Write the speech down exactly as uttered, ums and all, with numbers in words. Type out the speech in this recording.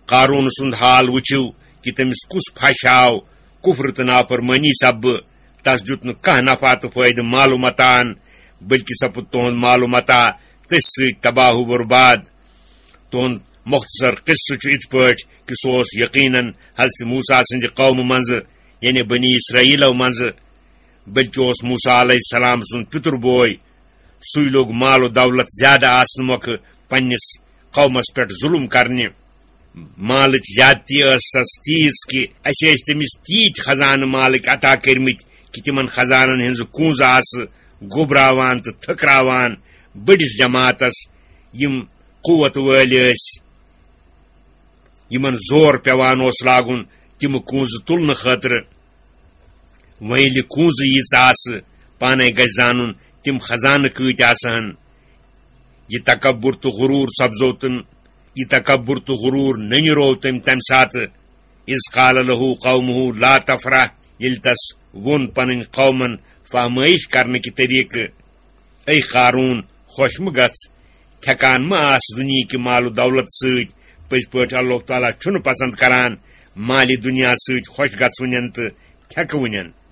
قارون سُنٛد حال وٕچھِو کہِ تٔمِس کُس پھش آو کُفر تہٕ نافرمٲنی سببہٕ۔ تس دیُت نہٕ کانٛہہ نفع تہٕ فٲیدٕ مال و متاعن، بلکہِ سپُد تُہُنٛد مال و متاع تٔتھۍ سۭتۍ تباہ و برباد۔ تُہُنٛد مختصر قصہٕ چھُ یِتھ پٲٹھۍ کہِ سُہ اوس یقیناً حضرت موسیٰ سٕنٛدِ قومہٕ منٛزٕ، یعنی بنی اسرائیلو منٛزٕ، بلکہِ اوس موسیٰ علیہ السلام سُنٛد پِتُر بوے۔ سُے لوٚگ مال و دولت زیادٕ آسنہٕ مۄکھٕ پننِس قومس پٮ۪ٹھ ظلم کرنہِ۔ مالٕچ زیادتی ٲسَس تیٖژ کہِ اَسہِ ٲسۍ تٔمِس تیٖتۍ خزانہٕ مالٕکۍ عطا کٔرمٕتۍ کہِ تِمن خزانن ہٕنٛزٕ کونٛزٕ آسہٕ گوٚبراوان تہٕ تھٔکراوان بٔڑِس جماعتس، یِم قوت وٲلۍ ٲسۍ، یِمن زور پٮ۪وان اوس لاگُن تِم کونٛزٕ تُلنہٕ خٲطرٕ۔ وۄنۍ ییٚلہِ کونٛزٕ ییٖژ آسہٕ، پانے گژھِ زانُن تِم خزانہٕ کۭتۍ آسہٕ ہن۔ یہِ تکبر تہٕ غرور سپزو تہٕ، یہِ تکبر تہٕ غرور نٔنِرو تٔمۍ تمہِ ساتہٕ، اذ قال له قومه لا تفرح، ییٚلہِ تس ووٚن پنٕنۍ قومن فہمٲیش کرنہٕ کہِ طریقہٕ، اے قارون، خۄش مہٕ گژھ، تھٮ۪کان مہٕ آس دُنیہٕکہِ مال و دولت سۭتۍ۔ پٔزۍ پٲٹھۍ اللہ تعالیٰ چھُنہٕ پسند کران مالِ دُنیا سۭتۍ خۄش گژھوٕنٮ۪ن تہٕ تھٮ۪کوٕنٮ۪ن۔